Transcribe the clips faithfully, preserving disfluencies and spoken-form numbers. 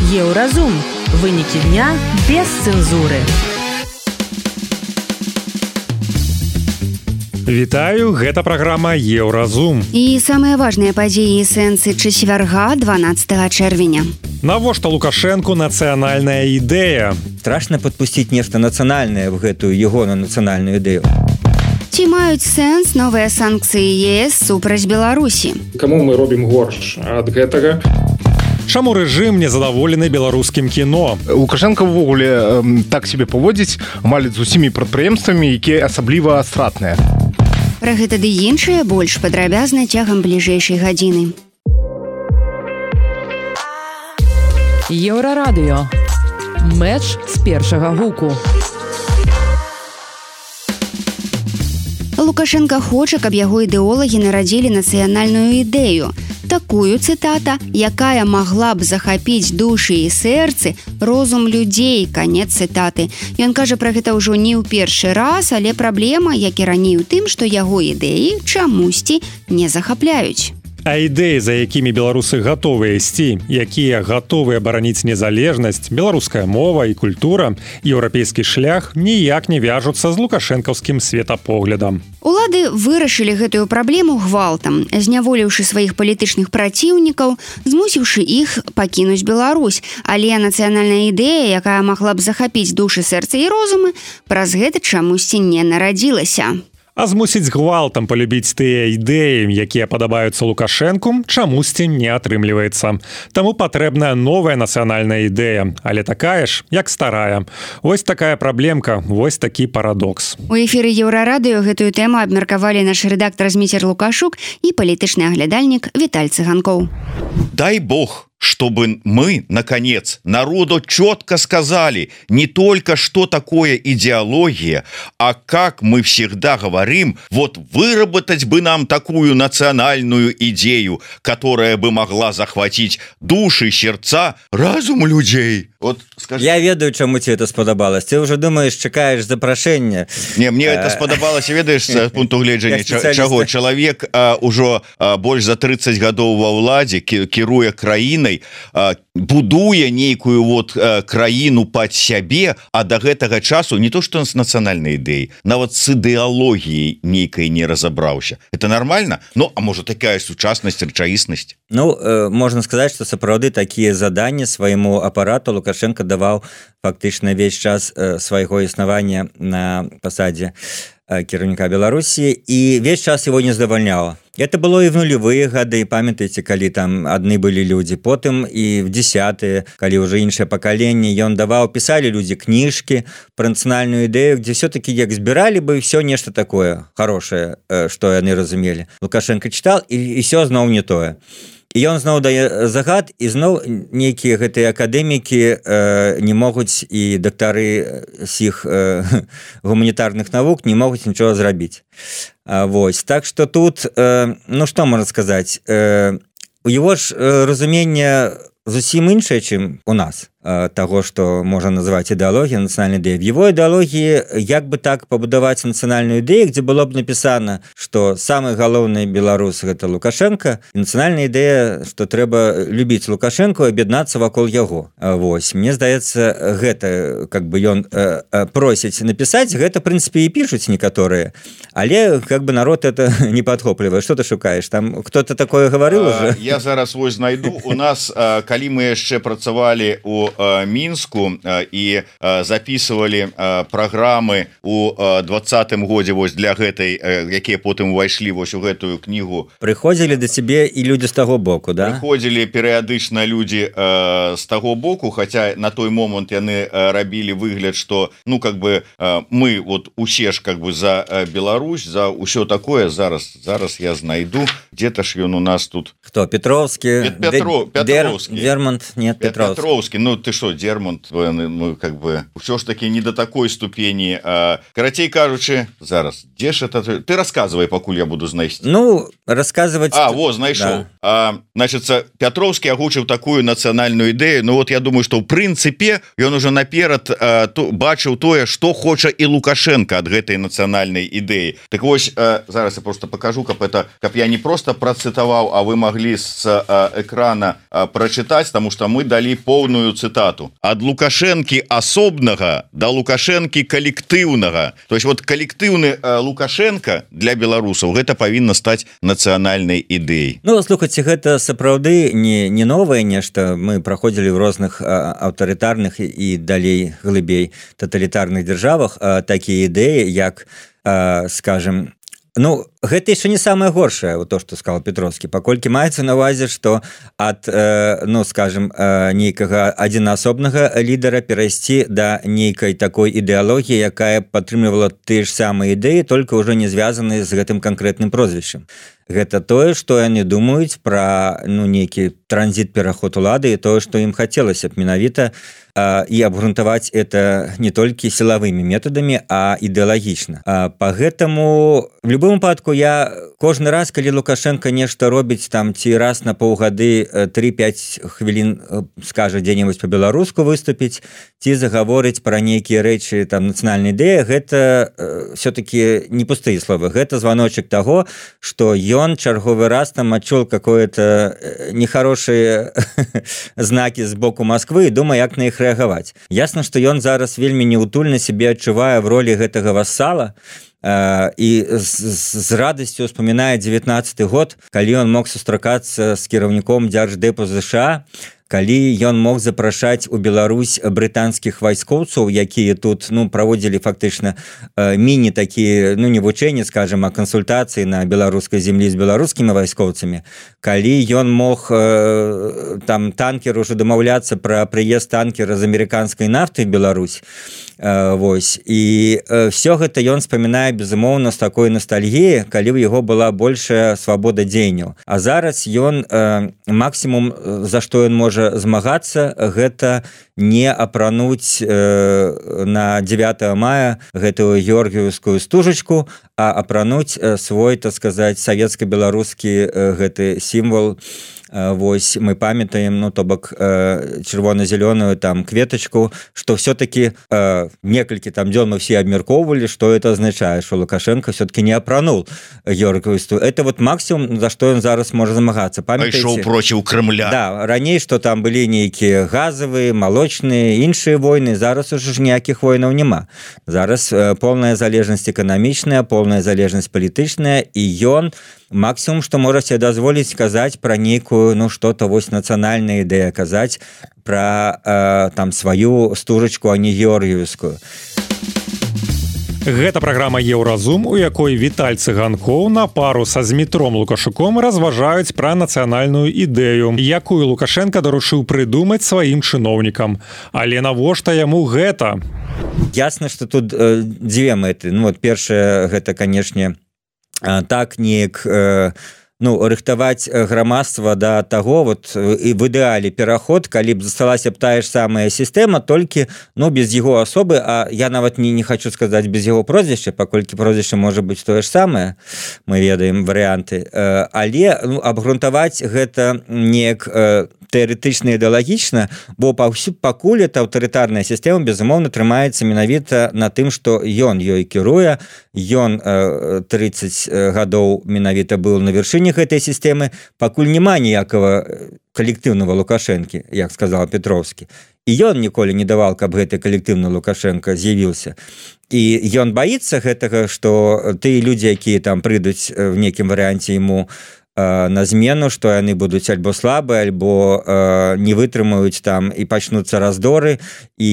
Еўразум. Вынікі дня без цэнзуры. Вітаю, гэта праграма Еўразум. І самыя важныя падзеі і сэнсы чацвярга дванаццатага чэрвеня. Навошта Лукашэнку нацыянальная ідэя? Страшна падпусціць нешта нацыянальнае в гэтую ягоную нацыянальную ідэю. Ці маюць сэнс новыя санкцыі ЕС супраць Беларусі? Каму мы робім горш ад гэтага? Чаму рэжым незадаволены беларускім кіно? Лукашенко ўвогуле э, так себе паводзіць амаль з усімі прадпрыемствамі, якія асабліва стратныя. Пра гэта ды іншае больш падрабязна цягам бліжэйшай гадзіны. Еўрарадыё. Мэч з першага гуку. Лукашенко хоча, каб яго ідэолагі нарадзілі нацыянальную ідэю. Такую, цытата, якая магла б захапіць душы і сэрцы, розум людзей, канец цытаты. Ён кажа пра гэта ўжо не ў першы раз, але праблема, як і раней у тым, што яго ідэі чамусьці не захапляюць. А ідэі, за якімі беларусы гатовыя ісці, якія гатовыя бараніць незалежнасць, беларуская мова і культура, еўрапейскі шлях ніяк не вяжуцца з лукашэнкаўскім светапоглядам. Улады вырашылі гэтую праблему гвалтам, зняволіўшы сваіх палітычных праціўнікаў, змусіўшы іх пакінуць Беларусь. Але нацыянальная ідэя, якая магла б захапіць душы, сэрцы і розумы, праз гэта чамусьці не нарадзілася. А змусіць гвалтам палюбіць тыя ідэі, якія падабаюцца Лукашэнку, чамусьці не атрымліваецца. Таму патрэбная новая нацыянальная ідэя, але такая ж, як старая. Вось такая праблемка, вось такі парадокс. У эфіры Еўрарадыё гэтую тэму абмеркавалі наш рэдактар Зміцер Лукашук і палітычны аглядальнік Віталь Цыганкоў. Дай бог, чтобы мы, наконец, народу четко сказали не только, что такое идеология, а как мы всегда говорим, вот выработать бы нам такую национальную идею, которая бы могла захватить души, сердца, разум людей. Вот, скажи... Я ведаю, чаму тебе это сподобалось. Ты уже думаешь, чекаешь запрошение. Не, мне это сподобалось, ведаешь, с пункту гледжання, чего человек уже больше за тридцать годов во владе, кіруе краінай, будуе нейкую вот краіну пад сябе, а до гэтага часу не то что с нацыянальнай ідэяй, нават с ідэалогіяй нейкай не разабраўся. Это нормально? Ну, а может такая сучаснасць, рэчаіснасць? Ну, э, можно сказать, что сапраўды такие задания своему аппарату Лукашенко давал фактично весь час э, своего існавання на посаде э, кіраўніка Беларусі, и весь час его не задавальняла. Это было и в нулевые годы, памятаете, калі там одни были люди, потым и в десятые, калі уже іншае пакаленне, ён даваў, писали люди книжки про нацыянальную ідэю, где все-таки як збирали бы все нешта такое хорошее, что яны разумели. Лукашенко читал, и, и все зноў не тое. І ён зноў дае загад, і зноў нейкія гэтыя акадэмікі э, не могуць, і дактары сіх э, гуманітарных навук не могуць нічога зрабіць. А, вось. Так што тут, э, ну што можна сказаць, э, у яго ж э, разуменне зусім іншае, чым у нас, э, таго, што можна называць ідэалогія, нацыянальная ідэя. В его ідэалогіі як бы так пабудаваць нацыянальную ідэю, дзе было б напісана, што самы галоўны беларус гэта Лукашенко, і нацыянальная ідэя, што трэба любіць Лукашенко і аб'яднацца вакол яго. Вось, мне здаецца, гэта как бы ён э, э, просіць напісаць, гэта, в прынцыпе, і пішуць некаторыя, але как бы народ это не падхоплівае. Што ты шукаеш? Там кто-то такое гаварыў уже? Я зараз вось знайду. У нас, калі мы яшчэ працавалі у Мінску і записывали праграмы у двадцатым годзе вось для гэтай, якія потым увайшлі вось у гэтую кнігу. Прыходзілі да цябе і людзі з таго боку, да? Прыходзілі перыядычна людзі з таго боку, хаця на той момант яны рабілі выгляд, што ну как бы мы вот усе ж как бы за Беларусь, за ўсё такое. Зараз зараз я знайду, где-то ж ён у нас тут. Хто? Петровскі? Петро, Петровскі. Дермонт? Нет, Петровскі. Петровскі. Ну, ты что, Дермонт, ну, как бы все ж таки не до такой ступени. А, карацей кажучы, зараз дзе ж это ты рассказывай, пакуль я буду знайсці. Ну рассказывать а во знайшоў да. А, значит Пятроўскі агучыў такую нацыянальную ідэю. Ну вот я думаю, что ў прынцыпе ён уже наперад а, то, бачыў тое, что хоча і Лукашенко ад гэтай нацыянальнай ідэі. Так вось а, зараз я просто покажу, каб это каб я не просто процытаваў, а вы могли с а, экрана а, прочитать, потому что мы дали полную цитату: ад Лукашэнкі асобнага да Лукашэнкі калектыўнага. То есть вот калектыўны а, Лукашенко для беларусаў гэта павінна стаць нацыянальнай ідэяй. Ну слухайце, гэта сапраўды не не новае нешта. Мы праходзілі в розных аўтарытарных і далей глыбей таталітарных дзяржавах такія ідэі, як скажем, ну гэта яшчэ не самае горшае, вот то, што сказал Петроўскі, паколькі маецца на увазе, што ад э, ну скажем э, нейкага адзінаасобнага лідара перайсці да нейкай такой ідэалогіі, якая падтрымлівала тыя ж самыя ідэі, толькі ўжо не звязаныя з гэтым канкрэтным прозвішчам. Гэта тое, што яны думаюць пра ну нейкі транзіт, пераход улады, і тое, што ім хацелася б менавіта э, і абгрунтаваць это не толькі сілавымі метадамі, а ідэалагічна. А па гэтаму в любым выпадку я кожны раз, калі Лукашенко нешта робіць там ці раз на паўгады тры-пяць хвілін скажа дзе-небудзь па-беларуску выступіць ці загаворыць пра нейкія рэчы там нацыянальнай ідэі, гэта э, все-таки не пустыя словы, гэта званочак таго, што ён чарговы раз там адчуў какое-то нехорошие знаки з боку Москвы і думае, як на іх рэагаваць. Ясна, што ён зараз вельмі неутульна сябе адчувае в ролі гэтага вассала, і з, з радасцю успамінае дзевятнаццаты год, калі ён мог сустракацца з кіраўніком дзярждэпу ЗША, калі ён мог запрашаць у Беларусь брытанскіх вайскоўцаў, якія тут ну праводзілі фактычна міні такія, ну не вучэнні, скажем, а кансультацыі на беларускай землі з беларускімі вайскоўцамі, калі ён мог э, там танкер уже дамаўляцца пра прыезд танкера з амерыканскай нафты в Беларусь. Э, вось і э, все гэта ён спамінае безумоўна з такой ностальгіі, калі ў яго была большая свабода дзеянняў. А зараз ён э, максімум, за што ён можа змагацца, гэта не апрануць э, на дзевятае мая гэтую георгіевскую стужачку, а апрануць э, свой, так сказаць, савецка-беларускі э, гэты сімвол. Э, вось мы памятаем, ну то бок э, чырвона-зялёную там кветачку, што все-таки э, некалькі там дзён мы все абмяркоўвалі, што это азначае, што Лукашенко все-таки не апранул георгіевскую. Это вот максимум, за што ён зараз можа змагацца. Пайшоў проціў Крымля. Да, раней, што там былі нейкія газавыя, малочныя, іншыя войны, зараз уже ж ніякіх войнаў няма. Зараз э, полная залежнасць эканамічная, полная залежнасць палітычная, і ён максимум, што можа себе дазволіць казаць пра нейкую, ну што-то вось нацыянальная ідэя, казаць пра э, там сваю стужачку, а не георгіевскую. Гэта праграма Еўразум, у якой Віталь Цыганкоў на пару са Змітром Лукашуком разважаюць пра нацыянальную ідэю, якую Лукашенко даручыў прыдумаць сваім чыноўнікам. Але навошта яму гэта? Ясна, што тут э, дзве мэты. Ну вот першае, гэта, канешне, э, так неяк э, ну рыхтаваць грамадства да таго вот і в ідэале пераход, калі б засталася б тая ж самая сістэма, толькі ну без яго асобы, а я нават не, не хочу сказаць без яго прозвішча, паколькі прозвішча можа быць тое ж самае, мы ведаем варыянты, але ну, абгрунтаваць гэта неяк тэарэтычна ідэалагічна, бо пакуль эта аўтарытарная сістэма безумоўна трымаецца менавіта на тым, што ён ёй кіруе, ён трыццаць гадоў менавіта быў на вяршыні гэтай сістэмы, пакуль няма ніякага калектыўнага Лукашэнкі, як сказал Петроўскі. І ён ніколі не давал, каб гэты калектыўны Лукашенко з'явіўся. І ён баіцца гэтага, што тыя людзі, якія там прыйдуць в нейкім варыянце яму на змену, што яны будуць альбо слабыя, альбо э, не вытрымаюць там і пачнуцца раздоры і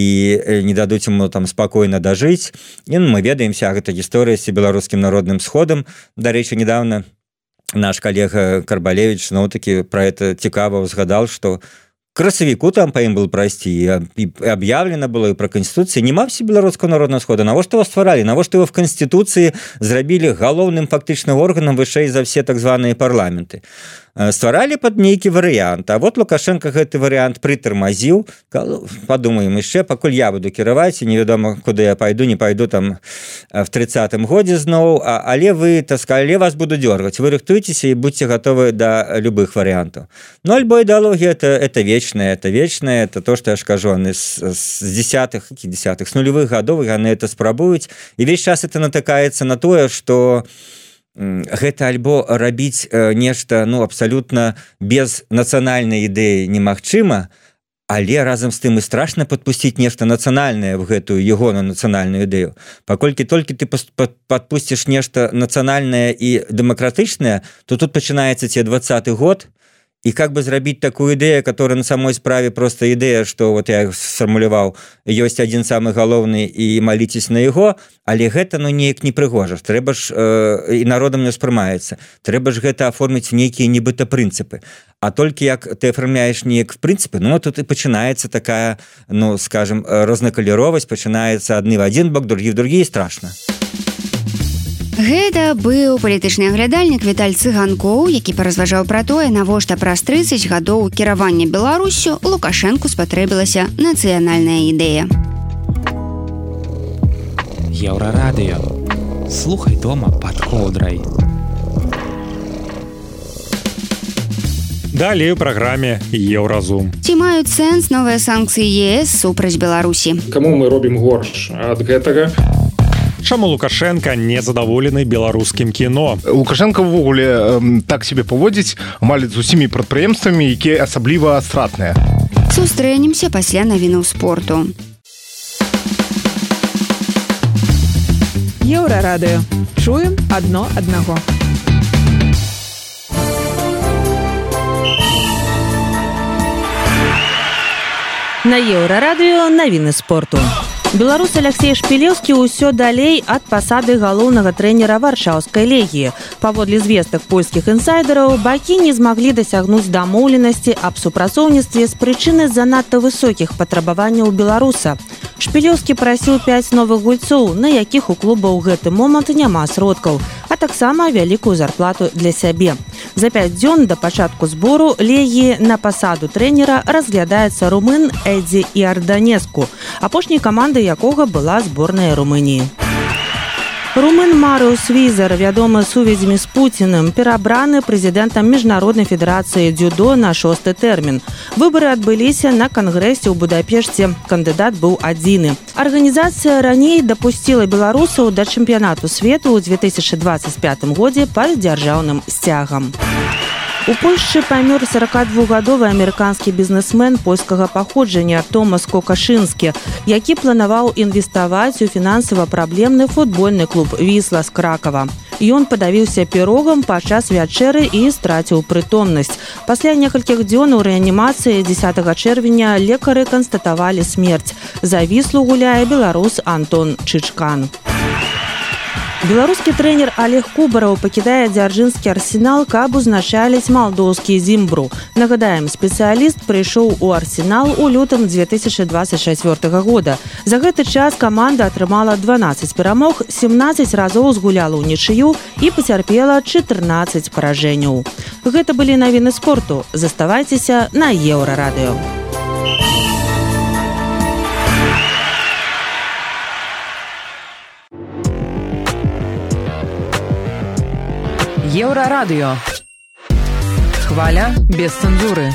не дадуць ему там спакойна дажыць. І ну, мы ведаем вся гэта гісторыя з беларускім народным сходам. Дарэчы, недавно наш калега Карбалевич зноў-такі пра гэта цікава ўзгадал, што красавіку там па ім был прайсці, і аб'яўлена было і пра Канстытуцыі. Няма всебеларускага народнага схода. Навошта его стваралі? Навошта его в Канстытуцыі зрабілі галоўным фактычным органам вышэй за все так званыя парламенты? стваралі под нейкі варыянт. А вот Лукашенко гэты варыянт прытармазіў, падумаем яшчэ, пакуль я буду кіраваць, невядома куды я пайду, не пайду там в тридцатым годзе зноў, а, але вы, так сказали, вас буду дёргаць. Вы рыхтуйцеся і будьте готовы до любых варыянтаў. Ну, альбо ідэалогія это, это вечная, это вечная, это то, что я ж кажу, они с, с десятых, десятых, с нулевых годов они это спрабуюць, і весь час это натыкаецца на тое, что гэта альбо рабіць нешта, ну, абсолютно без нацыянальнай ідэі немагчыма, але разам з тым і страшна падпусціць нешта нацыянальнае в гэтую ягоную нацыянальную ідэю. Паколькі толькі ты падпусціш нешта нацыянальнае і дэмакратычнае, то тут пачынаецца ці двадцаты год, и как бы зрабіць такую ідэю, которая на самой справе просто ідэя, что вот я сфармуляваў, ёсць адзін самы галоўны і маліцесь на яго, але гэта ну неяк не прыгожа. Трэба ж э, і народам не ўспрымаецца. Трэба ж гэта аформіць нейкія нібыта прынцыпы. А толькі як ты афармляеш неяк прынцыпы, ну тут і пачынаецца такая, ну скажем, рознакаляровасць, пачынаецца адны в адзін бок, другі в другі, і страшна. Гэта быў палітычны аглядальнік Віталь Цыганкоў, які паразважаў пра тое, навошта праз трыццаць гадоў кіравання Беларуссю Лукашэнку спатрэбілася нацыянальная ідэя. Еўрарадыё. Слухай дома пад коўдрай. Далей у праграме Еўразум. Ці маюць сэнс новыя санкцыі ЕС супраць Беларусі? Каму мы робім горш ад гэтага? Чаму Лукашенко не задаволены беларускім кіно? Лукашенко ўвогуле э, так себе паводзіць амаль з усімі прадпрыемствамі, якія асабліва стратныя. Сустрэнемся пасля навінаў спорту. Еўрарадыё. Чуем адно аднаго. На Еўрарадыё навіны спорту. Беларус Алексей Шпілеўскі ўсё далей ад пасады галоўнага трэнера варшаўскай легіі. Паводле звестак польскіх інсайдераў, бакі не змаглі дасягнуць дамоўленасці аб супрацоўніцтве з прычыны занадта высокіх патрабаванняў беларуса. Шпілеўскі прасіў пяць новых гульцоў, на якіх у клуба ў гэты момант няма сродкаў, а таксама вялікую зарплату для сябе. За пяць дзён да пачатку збору легіі на пасаду трэнера разглядаецца румын Эдзі Іарданеску, апошняй камандай якога была зборная Румыніі. Румын Марыус Візер, вядомы сувязямі з Пуціным, перабраны прэзідэнтам Міжнароднай федэрацыі дзюдо на шосты тэрмін. Выбары адбыліся на кангрэсе ў Будапешце. Кандыдат быў адзіны. Арганізацыя раней дапусціла беларусаў да чэмпіянату свету ў две тысячы дваццаць пятым годзе пад дзяржаўным сцягам. У Польшчы памёр сорокадвухгадовы амерыканскі бізнесмен польскага паходжання Томас Кокашынскі, які планаваў інвеставаць у фінансава-праблемны футбольны клуб «Вісла» з Кракава. Ён падавіўся пірогам падчас вячэры і страціў прытомнасць. Пасля некалькіх дзён у рэанімацыі дзесятага чэрвеня лекары канстатавалі смерць. За «Віслу» гуляе беларус Антон Чычкан. Беларускі трэнер Олег Кубараў пакідае дзяржынскі «Арсенал», каб узначаліць малдоўскі «Зімбру». Нагадаем, спецыяліст прыйшоў у «Арсенал» у лютым две тысячи двадцать чацвёртага года. За гэты час каманда атрымала дванаццаць перамог, семнаццаць разоў згуляла ўнічыю і пацярпела чатырнаццаць паражэнняў. Гэта былі навіны спорту. Заставайцеся на Еўрарадыё. Еўрарадыё. Хваля без цэнзуры.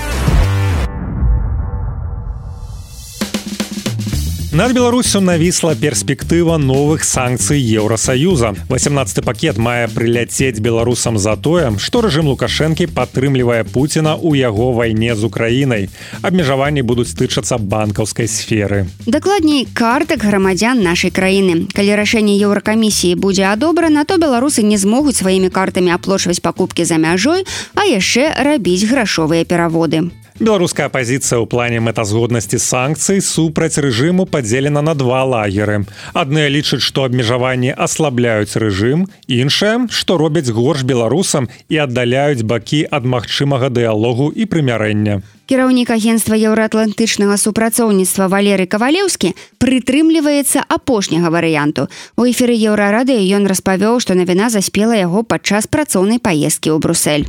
Над Беларусю навісла перспектыва новых санкцый Еўросаюза. восемнадцаты пакет мае прыляцець беларусам за тое, што рэжым Лукашэнкі падтрымлівае Пуціна ў яго вайне з Украінай. Абмежаванні будуць тычацца банкаўскай сферы. Дакладней, картак грамадзян нашай краіны. Калі рашэнне Еўракамісіі будзе адобрана, то беларусы не змогуць сваімі картамі аплочваць пакупкі за мяжой, а яшчэ рабіць грашовыя пераводы. Беларуская апазіцыя ў плане мэтазгоднасці санкцый супраць рэжыму падзелена на два лагеры. Адныя лічаць, што абмежаванні аслабляюць рэжым, іншыя, што робяць горш беларусам і аддаляюць бакі ад магчымага дыялогу і прымярэння. Кіраўнік агенства еўраатлантычнага супрацоўніцтва Валерый Кавалеўскі прытрымліваецца апошняга варыянту. У эфіры Еўрарадыё ён распавёў, што навіна заспела яго падчас працоўнай паездкі ў Брусэль.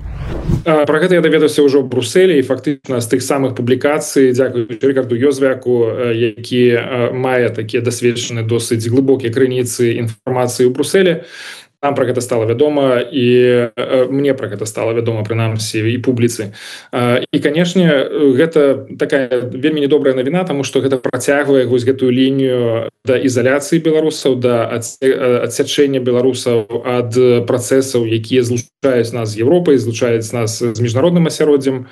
Про гэта я даведаўся ўжо ў Брусэлі і фактычна з тых самых публікацый, дзякуючы Рыкарду Ёзвяку, які мае такія дасведчаныя досыць глыбокія крыніцы інфармацыі ў Брусэлі. Нам про гэта стала вядома, і мне про гэта стала вядома, прынамсі, і публіцы. І, канешне, гэта такая вельмі недобрая навіна, таму што гэта працягвае вось гэтую лінію да ізаляцыі беларусаў, да адсячэння беларусаў ад працэсаў, якія злучаюць нас з Еўропай, злучаюць нас з міжнародным асяроддзем.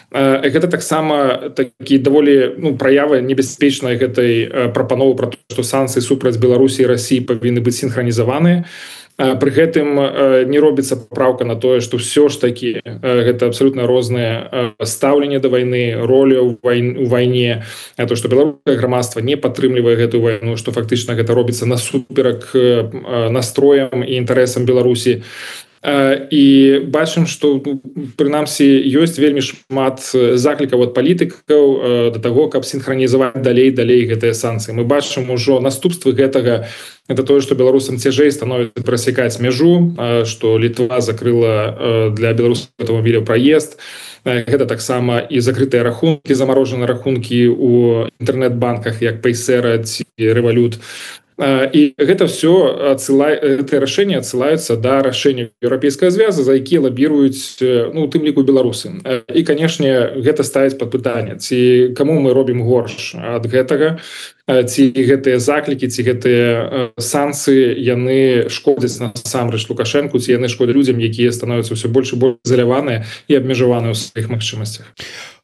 Гэта таксама такі даволі ну, праявы небяспечнай гэтай прапановы пра то, што санкцыі супраць Беларусі і Расіі павінны быць сінхранізаваныя. Пры гэтым не робіцца папраўка на тое, што ўсё ж такі гэта абсалютна рознае стаўленне да вайны, роля ў вайне, то, што беларускае грамадства не падтрымлівае гэтую вайну, што фактычна гэта робіцца насуперак настроям і інтарэсам Беларусі. І бачым, што прынамсі ёсць вельмі шмат заклікаў ад палітыкаў да таго, каб сінхранізаваць далей далей гэтыя санкцыі. Мы бачым ужо наступствы гэтага. Это тое, што беларусам цяжэй становіцца прасякаць мяжу, што Літва закрыла для беларускіх аўтамабіляў праезд. Гэта таксама і закрытыя рахункі, замарожаныя рахункі ў інтэрнэт-банках, як Paysera ці Revolut. І гэта ўсё гэтыя рашэнні адсылаюцца да рашэння еўрапейскага звяза, за якія лабіруюць ну, у тым ліку беларусы. І, канешне, гэта ставіць пад пытанне, ці каму мы робім горш ад гэтага, ці гэтыя заклікі, ці гэтыя санкцыі яны шкодзяць насамрэч Лукашэнку, ці яны шкодзяць людзям, якія становяцца ўсё больш і больш изаляваныя і абмежаваныя ў сваіх магчымасцях.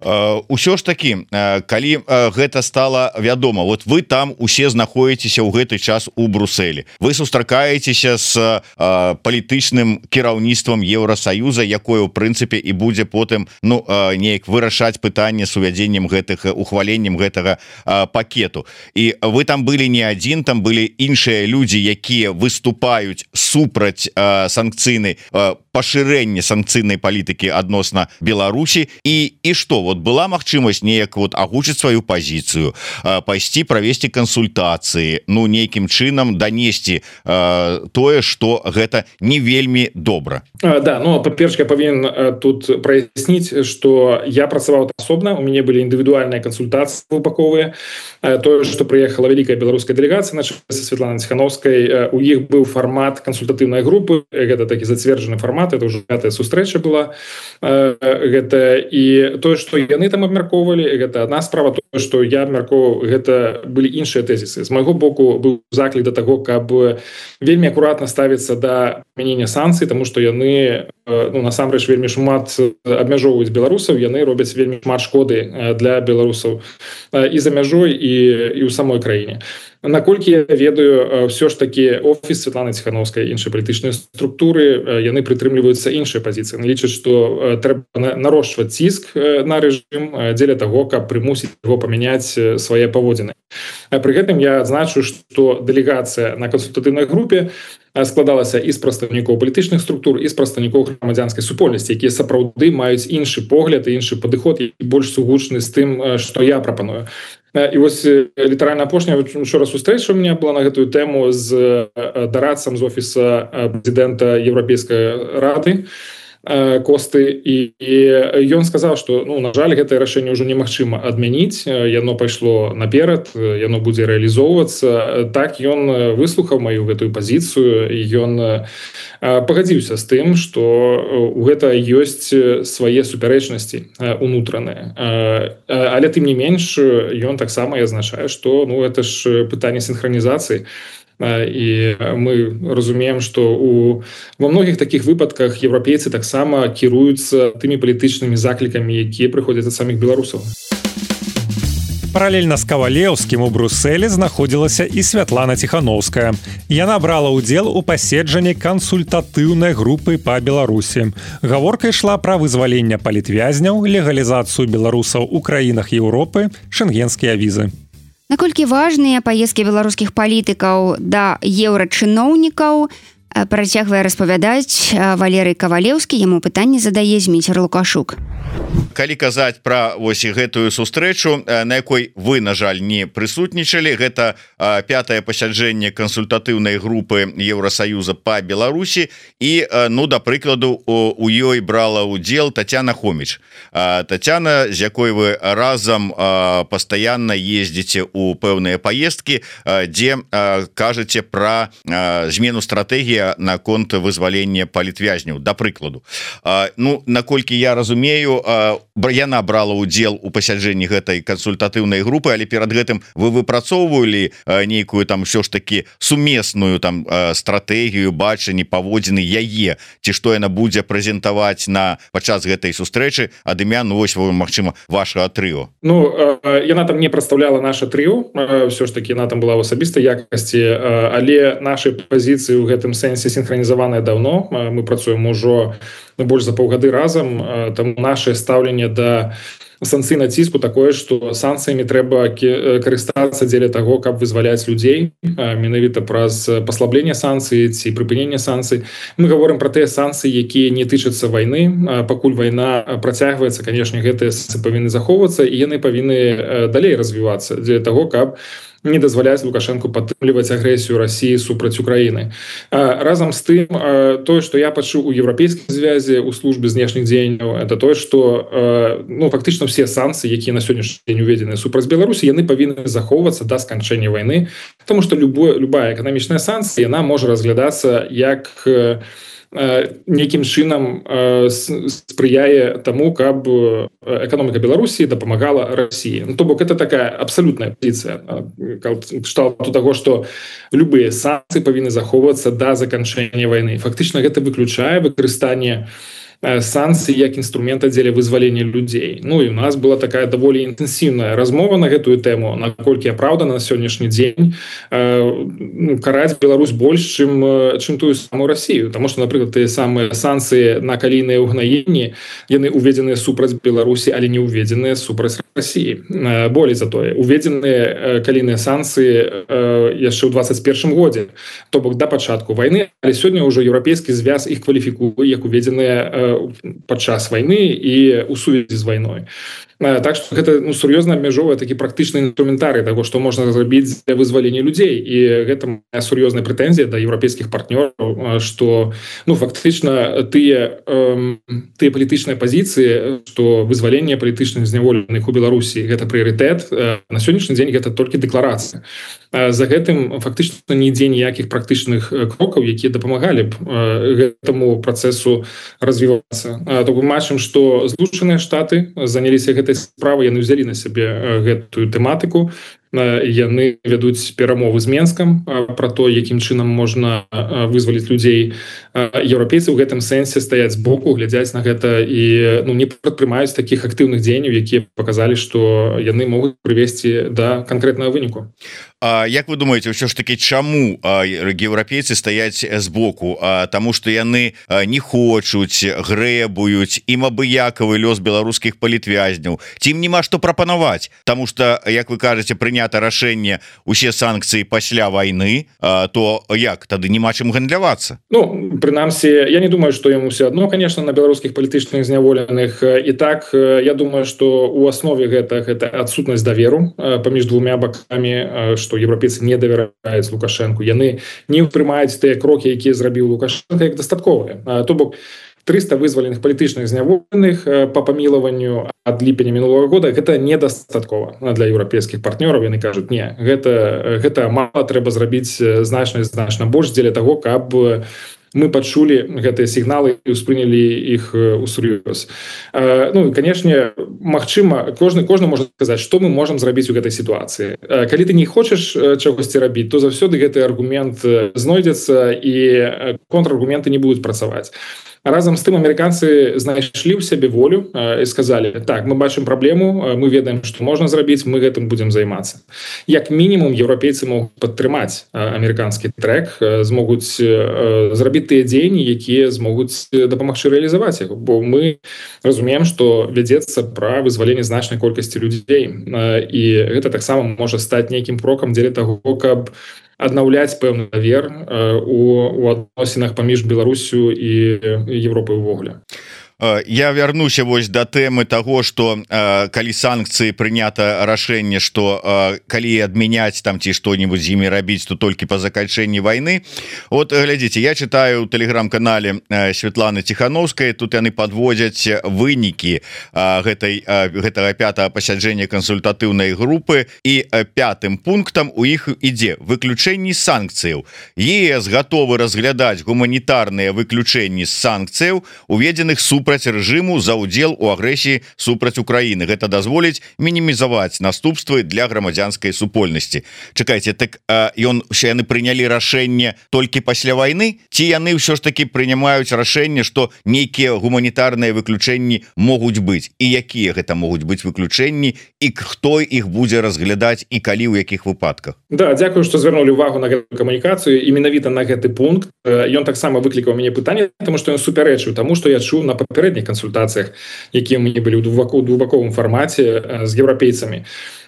Усё ж такі, калі гэта стала вядома, вот вы там усе знаходзіцеся ў гэты час у Брусэлі, вы сустракаецеся з палітычным кіраўніцтвам Еўрасаюза, якое ў прынцыпе і будзе потым ну неяк вырашаць пытанне з увядзеннем гэтых ухваленнем гэтага пакету. І вы там былі не адзін, там былі іншыя людзі, якія выступаюць супраць санкцыйнай пашырэння санкцыйнай палітыкі адносна Беларусі. І і што, вот была магчымасць неяк вот агучыць сваю пазіцыю, пайсці правесці кансультацыі, ну нейкім чынам данесці тое, што гэта не вельмі добра. Да, ну па-першае, я павінен тут праясніць, што я працаваў асобна, у мяне былі індывідуальныя кансультацыі двухбаковыя. Тое, што прыехала вялікая беларуская дэлегацыя на чале са Святланай Ціхановскай, у іх быў фармат кансультатыўнай групы, гэта такі зацверджаны фармат, это ўжо пятая сустрэча была. Гэта і тое, што яны там абмяркоўвалі, гэта адна справа. Тое, што я абмяркоўваў, гэта былі іншыя тэзісы. З майго боку быў заклік да таго, каб вельмі акуратна ставіцца да прымянення санкцый, таму што яны ну, насамрэч вельмі шмат абмяжоўваюць беларусаў, яны робяць вельмі шмат шкоды для беларусаў і за мяжой, і, і ў самой краіне. Наколькі я ведаю, ўсё ж такі офіс Святланы Ціхановскай, іншыя палітычныя структуры, яны прытрымліваюцца іншай пазіцыі. Лічаць, што трэба нарошчваць ціск на рэжым дзеля таго, каб прымусіць яго памяняць свае паводзіны. Пры гэтым я адзначу, што дэлегацыя на кансультатыўнай групе складалася і з прадстаўнікоў палітычных структур, і з прадстаўнікоў грамадзянскай супольнасці, якія сапраўды маюць іншы погляд і іншы падыход, і больш сугучны з тым, што я прапаную. І вось літаральна апошняя учора сустрэча у меня была на гэтую тэму з дарадцам з офіса прэзідэнта Еўрапейскай рады Косты, і, і ён сказаў, што ну, на жаль, гэтае рашэнне ўжо немагчыма адмяніць, яно пайшло наперад, яно будзе рэалізоўвацца. Так ён выслухаў маю гэтую пазіцыю, і ён пагадзіўся з тым, што у гэта ёсць свае супярэчнасці унутраныя. Але тым не менш, ён таксама і азначае, што ну, гэта ж пытанне сінхранізацыі. І мы разумеем, што у во многіх такіх выпадках еўрапейцы таксама кіруюцца тымі палітычнымі заклікамі, якія прыходзяць ад саміх беларусаў. Паралельна з Кавалеўскім у Брусэлі знаходзілася і Святлана Ціхановская. Яна брала ўдзел у паседжанні кансультатыўнай групы па Беларусі. Гаворка ішла пра вызваленне палітвязняў, легалізацыю беларусаў у краінах Еўропы, шэнгенскія візы. Наколькі важныя паездкі беларускіх палітыкаў да еўрачыноўнікаў, Працягвае распавядаць Валерый Кавалеўскі, яму пытанне задае Зміцер Лукашук. Калі казаць пра вось гэтую сустрэчу, на якой вы, на жаль, не прысутнічалі, гэта пятае пасяджэнне кансультатыўнай групы Еўрасаюза па Беларусі і, ну, да прыкладу, у ёй брала ўдзел Тацяна Хоміч. Тацяна, з якой вы разам пастаянна ездзіце ў пэўныя паездкі, дзе кажаце пра змену стратэгіі наконт вызвалення палітвязняў, да прыкладу. Ну, наколькі я разумею, яна брала ўдзел у пасяджэнні гэтай кансультатыўнай групы, але перад гэтым вы выпрацоўвалі нейкую там ўсё ж таки сумесную там стратэгію, бачанне, паводзіны яе, ці што яна будзе прэзентаваць на падчас гэтай сустрэчы ад імя, ну вось, магчыма, вашага трыо. Ну, яна там не прадстаўляла наша трыо, ўсё ж таки яна там была ў асабістай якасці, але нашы пазіцыі ў гэтым сэнсе сінхранізаваныя даўно. Мы працуем ужо больш за паўгады разам, там наше стаўленне да санкцыйнага ціску такое, што санкцыямі трэба карыстацца дзеля таго, каб вызваляць людзей, менавіта праз паслабленне санкцый ці прыпыненне санкцый. Мы гаворым пра тыя санкцыі, якія не тычацца вайны. Пакуль вайна працягваецца, канешне, гэтыя санкцыі павінны захоўвацца, і яны павінны далей развівацца дзеля таго, каб не дазваляць Лукашенку падтрымліваць агрэсію Расіі супраць Украіны. Разам з тым, тое, што я пачуў у еўрапейскай звязе ў службе знешніх дзеянняў, это тое, што ну, фактычна все санкцыі, якія на сённяшні дзень уведзены супраць Беларусі, яны павінны захоўвацца да сканчэння вайны, тому што любое, любая эканамічная санкцыя, яна можа разглядацца як нейкім чынам спрыяе таму, каб эканоміка Беларусі дапамагала Расіі. Ну, то бок это такая абсалютная пазіцыя кшталту таго, што любыя санкцыі павінны захоўвацца да заканчэння вайны. Фактычна гэта выключае выкарыстанне санкцый як інструмента дзеля вызвалення людзей. Ну і у нас была такая даволі інтэнсіўная размова на гэтую тэму, наколькі апраўдана на сённяшні дзень ну, караць Беларусь больш, чым, чым тую самую Расію. Таму што, напрыклад, тыя самыя санкцыі на калійныя ўгнаенні, яны уведзеныя супраць Беларусі, але не уведзеныя супраць Расіі. Болей за тое, уведзеныя калійныя санкцыі яшчэ ў двадцать першым годзе, то бок да пачатку вайны, але сёння ўжо еўрапейскі звяз іх кваліфікуе як уведзеныя падчас вайны і ў сувязі з вайной. Так што гэта ну, сур'ёзна абмяжоўвае такі практычны інструментарый таго, што можна зрабіць для вызвалення людзей. І гэта моя сур'ёзная прэтэнзія да еўрапейскіх партнёраў, што ну, фактычна тыя, э, тыя палітычныя пазіцыі, што вызваленне палітычных зняволеных у Беларусі гэта прыярытэт, на сённяшні дзень гэта толькі дэкларацыя. За гэтым фактычна нідзе ніякіх практычных крокаў, якія дапамагалі б гэтаму працэсу развівацца. То мы бачым, што Злучаныя Штаты заняліся гэтай справай, яны ўзялі на сябе гэтую тэматыку. Яны вядуць перамовы з Менскам пра то, якім чынам можна вызваліць людзей. Еўрапейцы ў гэтым сэнсе стаяць збоку, глядзяць на гэта і ну, не прадпрымаюць такіх актыўных дзеянняў, якія паказалі, што яны могуць прывесці да канкрэтнага выніку. А як вы думаеце, ўсё ж такі чаму еўрапейцы стаяць збоку? Таму што яны не хочуць, грэбуюць, ім абыякавы лёс беларускіх палітвязняў. Ці ім няма што прапанаваць? Таму што, як вы кажаце, прынята рашэнне усе санкцыі пасля вайны, то як? Тады няма чым гандлявацца? Ну, прынамсі, я не думаю, што ім усё адно, конечно, на беларускіх палітычных зняволеных. І так, я думаю, што у аснове гэта, гэта адсутнасць даверу паміж двумя бакамі, што еўрапейцы не давяраюць Лукашэнку. Яны не ўспрымаюць тыя крокі, якія зрабіў Лукашенко, як дастатковыя. То бок трыста вызваленых палітычных зняволеных па памілаванню ад ліпеня мінулого года гэта недастаткова для еўрапейскіх партнёраў. Яны кажуць, не, гэта, гэта мала, трэба зрабіць значна значна больш дзеля таго, каб мы пачулі гэтыя сігналы і ўспрынялі іх усур'ёз. Ну, канешне, магчыма, кожны, кожны можа сказаць, што мы можам зрабіць у гэтай сітуацыі. Калі ты не хочаш чагосьці рабіць, то заўсёды гэты аргумент знойдзецца і контраргументы не будуць працаваць. Разам з тым амерыканцы знайшлі ў сябе волю і сказалі, так, мы бачым праблему, мы ведаем, што можна зрабіць, мы гэтым будзем займацца. Як мінімум, еўрапейцы могуць падтрымаць амерыканскі трэк, змогуць зрабіць тыя дзеянні, якія змогуць дапамагчы рэалізаваць яго, бо мы разумеем, што вядзецца пра вызваленне значнай колькасці людзей, і гэта таксама можа стаць нейкім крокам дзеля таго, каб аднаўляць пэўны давер у, у адносінах паміж Беларусю і Европай увогуле. Я вярнуся вось да тэмы того, что э, калі санкцыі прынята рашэнне, что э, калі адмяняць там ці што-нибудь з імі рабіць, то толькі па заканчэнні вайны. Вот глядзіце, я читаю ў тэлеграм-канале э, Светланы Тихановскай, тут яны подводзяць вынікі э, гэтай э, гэтага пятага пасяджэння кансультатыўнай групы, і э, пятым пунктам у іх ідзе выключэнні санкцыяў. ЕС гатовы разглядаць гуманітарныя выключэнні з санкцыяў, уведзеных супраць рэжыму за ўдзел у агрэсіі супраць Украіны. Гэта дазволіць мінімізаваць наступствы для грамадзянскай супольнасці. Чакайце, так ён яны прынялі рашэнне толькі пасля вайны, ці яны ўсё ж таки прынимаюць рашэнне, што нейкія гуманітарныя выключэнні могуць быць, і якія гэта могуць быць выключэнні, і хто іх будзе разглядаць і калі, ў якіх выпадках? Да, дзякую, што звярнулі ўвагу на гэту камунікацыю і менавіта на гэты пункт. Ён таксама выклікаў мяне пытанне, тому што ён супярэчыў таму, што я чуў на папярэдніх кансультацыях, якія мы былі ў двухбаковым фармаце з еўрапейцамі.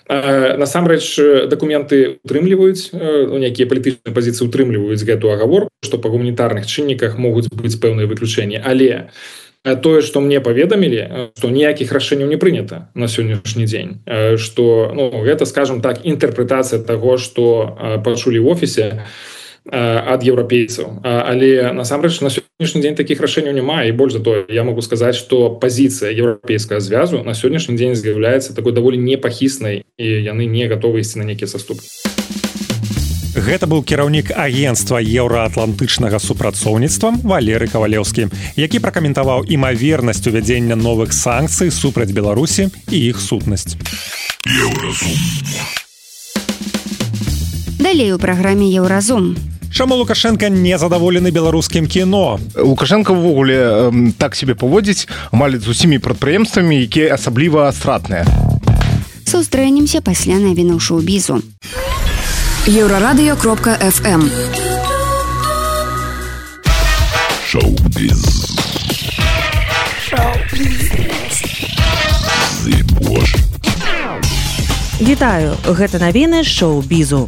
Насамрэч дакументы утрымліваюць, нейкія палітычныя пазіцыі утрымліваюць гэту агаворку, што па гуманітарных чынніках могуць быць пэўныя выключэнні, але тое, што мне паведамілі, што ніякіх рашэнняў не прынята на сённяшні дзень, што ну, гэта, скажем так, інтэрпрэтацыя таго, што пачулі ў офісе ад еўрапейцаў, але насамрэч на сённяшні дзень такіх рашэнняў няма, і больш за тое, я могу сказаць, што пазіцыя еўрапейскага звязу на сённяшні дзень з'яўляецца такой даволі непахіснай, і яны не гатовы ісці на нейкія саступкі. Гэта быў кіраўнік агенцтва еўраатлантычнага супрацоўніцтва Валерый Кавалеўскі, які пракаментаваў імавернасць увядзення новых санкцый супраць Беларусі і іх сутнасць. Еўразум. Далей у праграме Еўразум. Чаму Лукашенко не задаволены беларускім кіно? Лукашенко ўвогуле э, так себе паводзіць амаль з усімі прадпрыемствамі, якія асабліва стратныя. Сустрэнемся пасля навінаў шоу-бізу. Еўрарадыё кропка эф эм. Шоу-біз. Шоу-біз. Вітаю, гэта навіны шоу-бізу.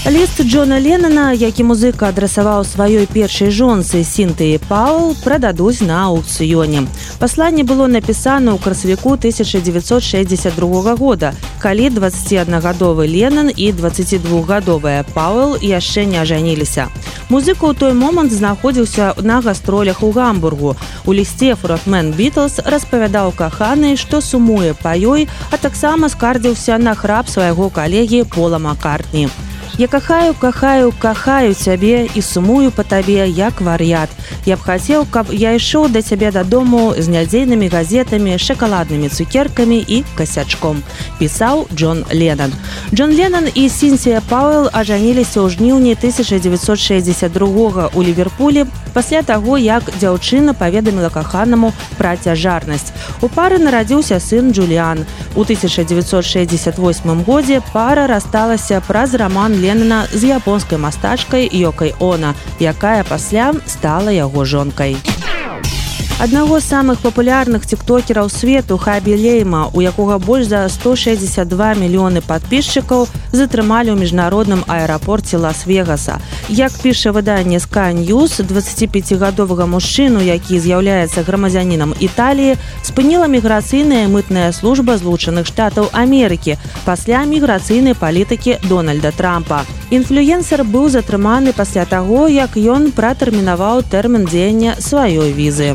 Ліст Джона Леннона, які музыка адрасаваў сваёй першай жонцы Сінтыі Паул, прададуць на аўкцыёне. Пасланне было напісана ў красавіку тысяча дзевяцьсот шэсцьдзесят другога года, калі дваццаціаднагадовы Леннон і дваццацідвухгадовая Паул яшчэ не ажаніліся. Музыка ў той момант знаходзіўся на гастролях у Гамбургу. У лісце фронтмен Бітлз распавядаў каханай, што сумуе па ёй, а таксама скардзіўся на храп свайго калегі Пола Маккартні. Я кахаю, кахаю, кахаю цябе і сумую па табе, як вар'ят. Я б хацеў, каб я ішоў да цябе дадому з нядзейнымі газетамі, шакаладнымі цукеркамі і касячком, пісаў Джон Леннон. Джон Леннон і Сінтыя Пауэл ажаніліся ў жніўні тысяча дзевяцьсот шэсцьдзесят другога ў Ліверпулі пасля таго, як дзяўчына паведаміла каханаму пра цяжарнасць. У пары нарадзіўся сын Джуліан. У тысяча дзевяцьсот шэсцьдесят восьмым годзе пара рассталася праз раман Леннона з японскай мастачкай Йокай Оно, якая пасля стала яго жонкай. Аднаго з самых папулярных тиктокераў свету Хабі Лейма, у якога больш за сто шэсцьдзесят два мільёны падпісчыкаў, затрымалі ў міжнародным аэрапорце Лас-Вегаса. Як піша выданне Sky News, дваццаціпяцігадовага мужчыну, які з'яўляецца грамадзянінам Італіі, спыніла міграцыйная мытная служба Злучаных Штатаў Амерыкі пасля міграцыйнай палітыкі Дональда Трампа. Інфлюенсер быў затрыманы пасля таго, як ён пратэрмінаваў тэрмін дзеяння сваёй візы.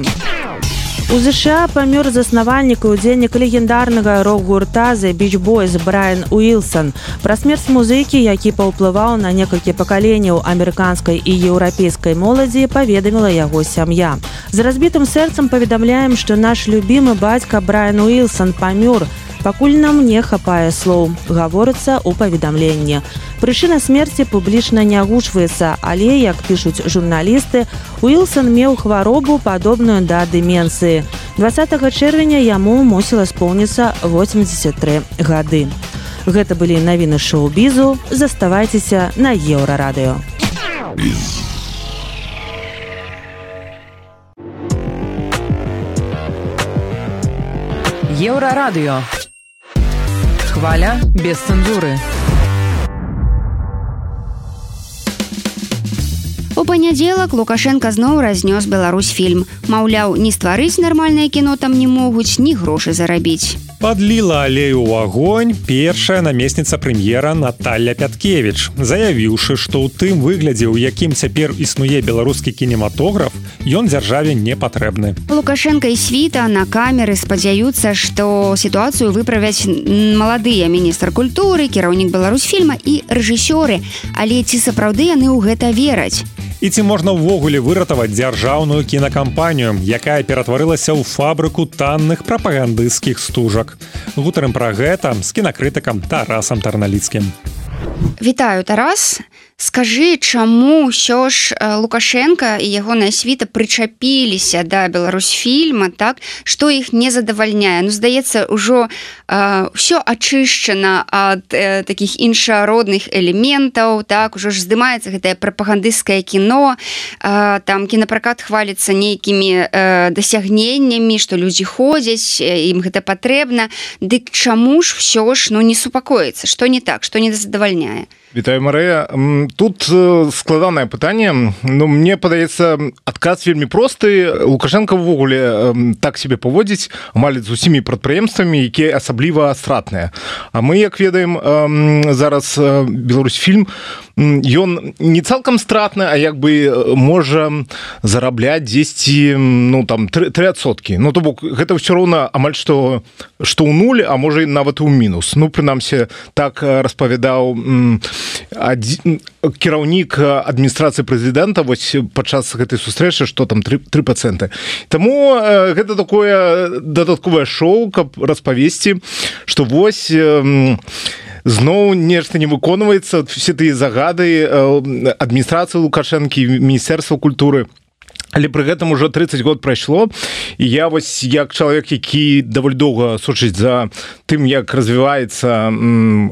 У ЗША памёр заснавальнік і удзельнік легендарнага рок-гурта The Beach Boys Брайан Уілсан. Пра смерць музыкі, які паўплываў на некалькі пакаленняў амерыканскай і еўрапейскай моладзі, паведаміла яго сям'я. З разбітым сэрцам паведамляем, што наш любімы бацька Брайан Уілсан памёр. Пакуль нам не хапае слоў, гаворыцца ў паведамленні. Прычына смерці публічна не агучваецца, але, як пішуць журналісты, Уілсан меў хваробу, падобную да дэмэнцыі. дваццатага чэрвеня яму мусіла споўніцца восемьдесят тры гады. Гэта былі навіны шоу-бізу. Заставайцеся на Еўрарадыё. Еўрарадыё. Хваля без цэнзуры. У панядзелак Лукашенко зноў разнёс Беларусьфільм. Маўляў, ні стварыць нармальнае кіно там не могуць, ні грошы зарабіць. Подлила алею ў агонь першая намесніца прэм'ера Наталья Пяткевич, заявіўшы, што ў тым выглядзе, у якім цяпер існуе беларускі кінематограф, ён дзяржаве не патрэбны. Лукашенко і світа на камеры спадзяюцца, што сітуацыю выправяць маладыя міністр культуры, кіраўнік Беларусьфільма і рэжысёры. Але ці сапраўды яны ў гэта вераць? І ці можна ўвогуле выратаваць дзяржаўную кінакампанію, якая ператварылася ў фабрыку танных прапагандысцкіх стужак? Гутарым пра гэта з кінакрытыкам Тарасам Тарналіцкім. Вітаю, Тарас. Скажы, чаму ўсё ж Лукашенко і ягоная світа прычапіліся да Беларусьфільма, так, што іх не задавальняе? Ну, здаецца, ўжо э, ўсё ачышчана ад э, такіх іншародных элементаў, так, ужо ж здымаецца гэтае прапагандысцкае кіно, э, там кінапракат хваліцца нейкімі э, дасягненнямі, што людзі ходзяць, ім гэта патрэбна. Дык чаму ж ўсё ж, ну, не супакоіцца? Што не так, што не задавальняе? Вітаю, Марыя. Тут складанае пытанне. Ну, мне падаецца, адказ вельмі просты. Лукашенко ўвогуле так себе паводзіць амаль з усімі прадпрыемствамі, якія асабліва стратныя. А мы, як ведаем, зараз Беларусьфільм, ён не цалкам стратны, а як бы можа зарабляць дзесьці, ну, там, тры адсоткі. Ну, то бок, гэта ўсё роўна амаль што, што ў нуль, а можа нават і ў мінус. Ну, прынамсі, так распавядаў кіраўнік адміністрацыі прэзідэнта вось падчас гэтай сустрэчы, што там тры працэнты. Таму гэта такое дадатковае шоу, каб распавесці, што вось зноў нешта не выконваецца, все тыя загады адміністрацыі Лукашэнкі, Міністэрства культуры. Але пры гэтым ужо трыццаць год прайшло, і я вось як чалавек, які даволі доўга сочыць за тым, як развіваецца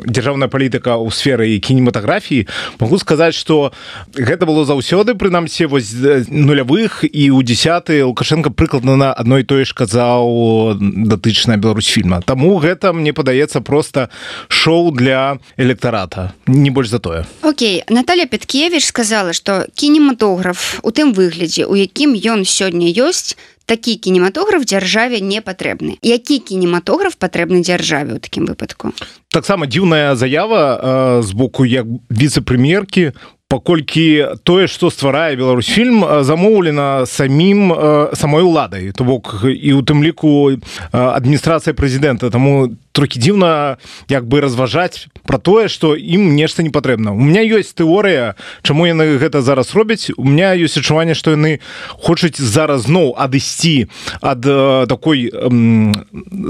дзяржаўная палітыка ў сферы кінематаграфіі, магу сказаць, што гэта было заўсёды, прынамсі вось нулявых, і ў дзесяты Лукашенко прыкладна на адно і тое ж казаў датычна Беларусьфільма. Таму гэта, мне падаецца, проста шоу для электарата, не больш за тое. Окей, Наталья Пяткевич сказала, што кінематограф у тым выглядзе, у якім ён сёння ёсць, такі кінематограф дзяржаве не патрэбны. Які кінематограф патрэбны дзяржаве ў такім выпадку? Таксама дзіўная заява з боку як віцэ-прэм'еркі, паколькі тое, што стварае Беларусьфільм, замоўлена самім самой уладай, то бок і ў тым ліку адміністрацыя прэзідэнта. Таму трохі дзіўна як бы разважаць пра тое, што ім нешта не патрэбна. У меня ёсць тэорыя, чаму яны гэта зараз робяць. У меня ёсць адчуванне, што яны хочуць зараз зноў адысці ад э, такой э,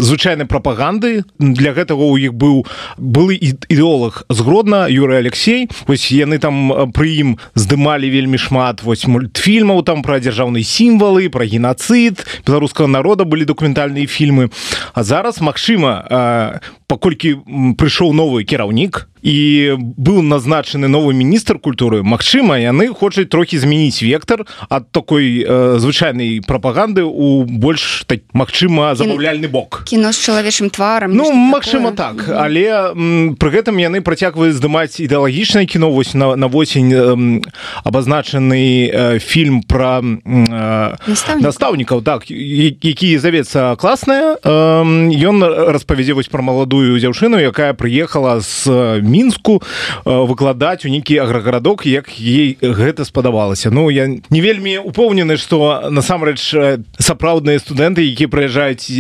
звычайнай прапаганды. Для гэтага ў іх быў былы ідэолог з Гродна, Юрый Алексей. Вось яны там пры ім здымалі вельмі шмат вось мультфільмаў там пра дзяржаўныя сімвалы, пра геноцид беларускага народа, былі дакументальныя фільмы. А зараз, магчыма, э, паколькі прыйшоў новы кіраўнік і быў назначаны новы міністр культуры, магчыма, яны хочуць трохі змяніць вектар ад такой э, звычайнай прапаганды ў больш, так, магчыма, забаўляльны бок. Кіно з чалавечым тварам. Ну, магчыма, так. Mm-hmm. Але м, пры гэтым яны працягваюць здымаць ідэалагічнае кіно. Вось на, на восень э, абазначаны э, фільм пра э, настаўнікаў. настаўнікаў, так, які завецца класнае. Э, ён распавядзе вось пра маладую дзяўчыну, якая прыехала з Мінску выкладаць у нейкі аграгарадок, як ей гэта спадабалася. Ну, я не вельмі упэўнены, што насамрэч сапраўдныя студэнты, якія прыязджаюць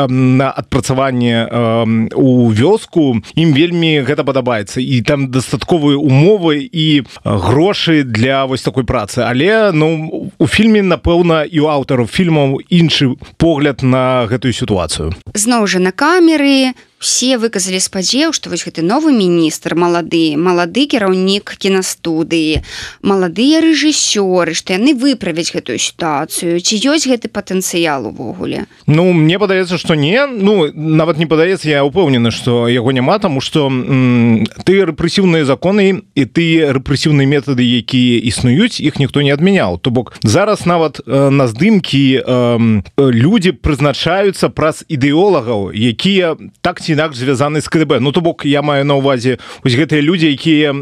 на адпрацаванне у вёску, ім вельмі гэта падабаецца. І там дастатковыя умовы і грошы для вось такой працы. Але, ну, у фільме, напэўна, і у аўтараў фільмаў іншы погляд на гэтую сітуацыю. Зноў жа на камеры все выказалі спадзеў, што вось гэты новы міністр малады, малады кіраўнік кінастудыі, маладыя рэжысёры, што яны выправяць гэтую сітуацыю. Ці ёсць гэты патэнцыял увогуле? Ну, мне падаецца, што не. Ну, нават не падаецца, я ўпэўнены, што яго няма, таму што м, тыя рэпрэсіўныя законы і тыя рэпрэсіўныя метады, якія існуюць, іх ніхто не адмяняў. То бок, зараз нават э, на здымкі э, людзі прызначаюцца праз ідэолагаў, якія так ці ці інакш звязаны з КДБ. Ну то бок я маю на увазе вось гэтыя людзі, якія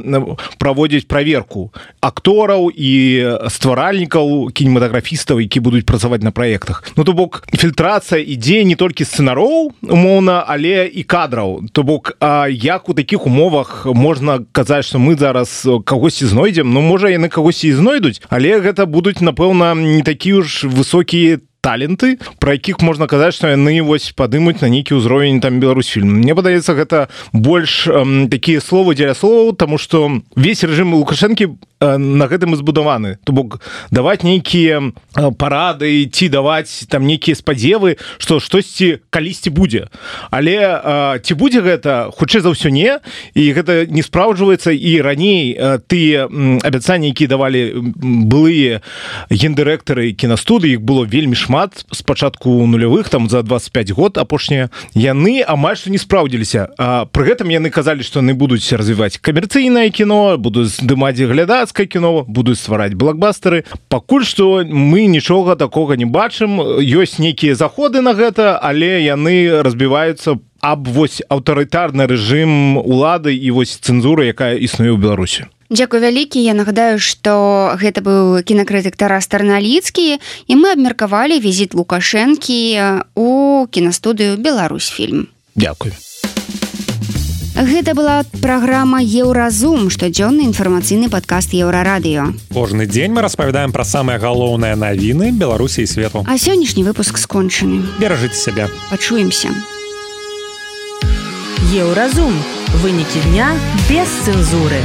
праводзяць праверку актораў і стваральнікаў, кінематаграфістаў, які будуць працаваць на праектах. Ну то бок фільтрацыя ідзе не толькі сцэнароў, умоўна, але і кадраў. То бок а як у такіх умовах можна казаць, што мы зараз кагосьці знойдзем? Ну можа яны кагосьці і знойдуць, але гэта будуць, напэўна, не такія ж высокія таленты, про якіх можна казаць, што яны вось падымуць на нейкі ўзровень там Беларусьфільм. Мне падаецца, гэта больш эм, такія словы дзеля словаў, таму што весь рэжым Лукашэнкі на гэтым і збудаваны. То бок даваць нейкія парады ці даваць там нейкія спадзевы, што штосьці калісьці будзе. Але э, ці будзе гэта? Хутчэй за ўсё не. І гэта не спраўджваецца. І раней э, тыя абяцанні, якія давалі былыя гендырэктары кінастудыі, іх было вельмі шмат з пачатку нулявых, там за двадцать пять год апошнія, яны амаль што не спраўдзіліся. А пры гэтым яны казалі, што яны будуць развіваць камерцыйнае кіно, будуць здымаць глядач кіно, будуць ствараць блокбастары. Пакуль што мы нічога такога не бачым. Ёсць нейкія заходы на гэта, але яны разбіваюцца аб вось аўтарытарны рэжым улады і вось цэнзуры, якая існуе ў Беларусі. Дзякуй вялікі. Я нагадаю, што гэта быў кінакрытык Тарас Тарналіцкі, і мы абмеркавалі візіт Лукашэнкі у кінастудыю Беларусьфільм. Дзякуй. Гэта была праграма «Еўразум», штодзённы інфармацыйны падкаст Еўрарадыё. Кожны дзень мы распавядаем пра самыя галоўныя навіны Беларусі і свету. А сённяшні выпуск скончаны. Беражыце сябе. Пачуемся. Еўразум. Вынікі дня без цэнзуры.